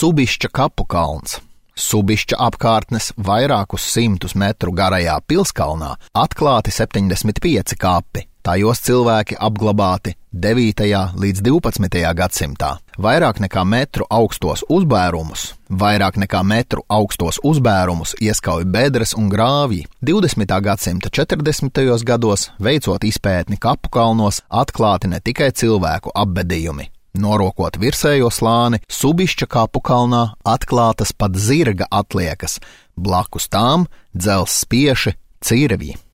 Subišķa kapu kalns. Subišķa apkārtnes vairākus 100 metru garajā pilskalnā atklāti 75 kapi. Tajos cilvēki apglabāti 9. līdz 12. gadsimtā. Vairāk nekā metru augstos uzbērumus ieskauj bedres un grāvji. 20. gadsimta 40. gados, veicot izpētni kapu kalnos, atklāti ne tikai cilvēku apbedījumi. Norokot virsējo slāni, Subišķa kapu kalnā atklātas pat zirga atliekas, blakus tām dzelzs spieši cirvji.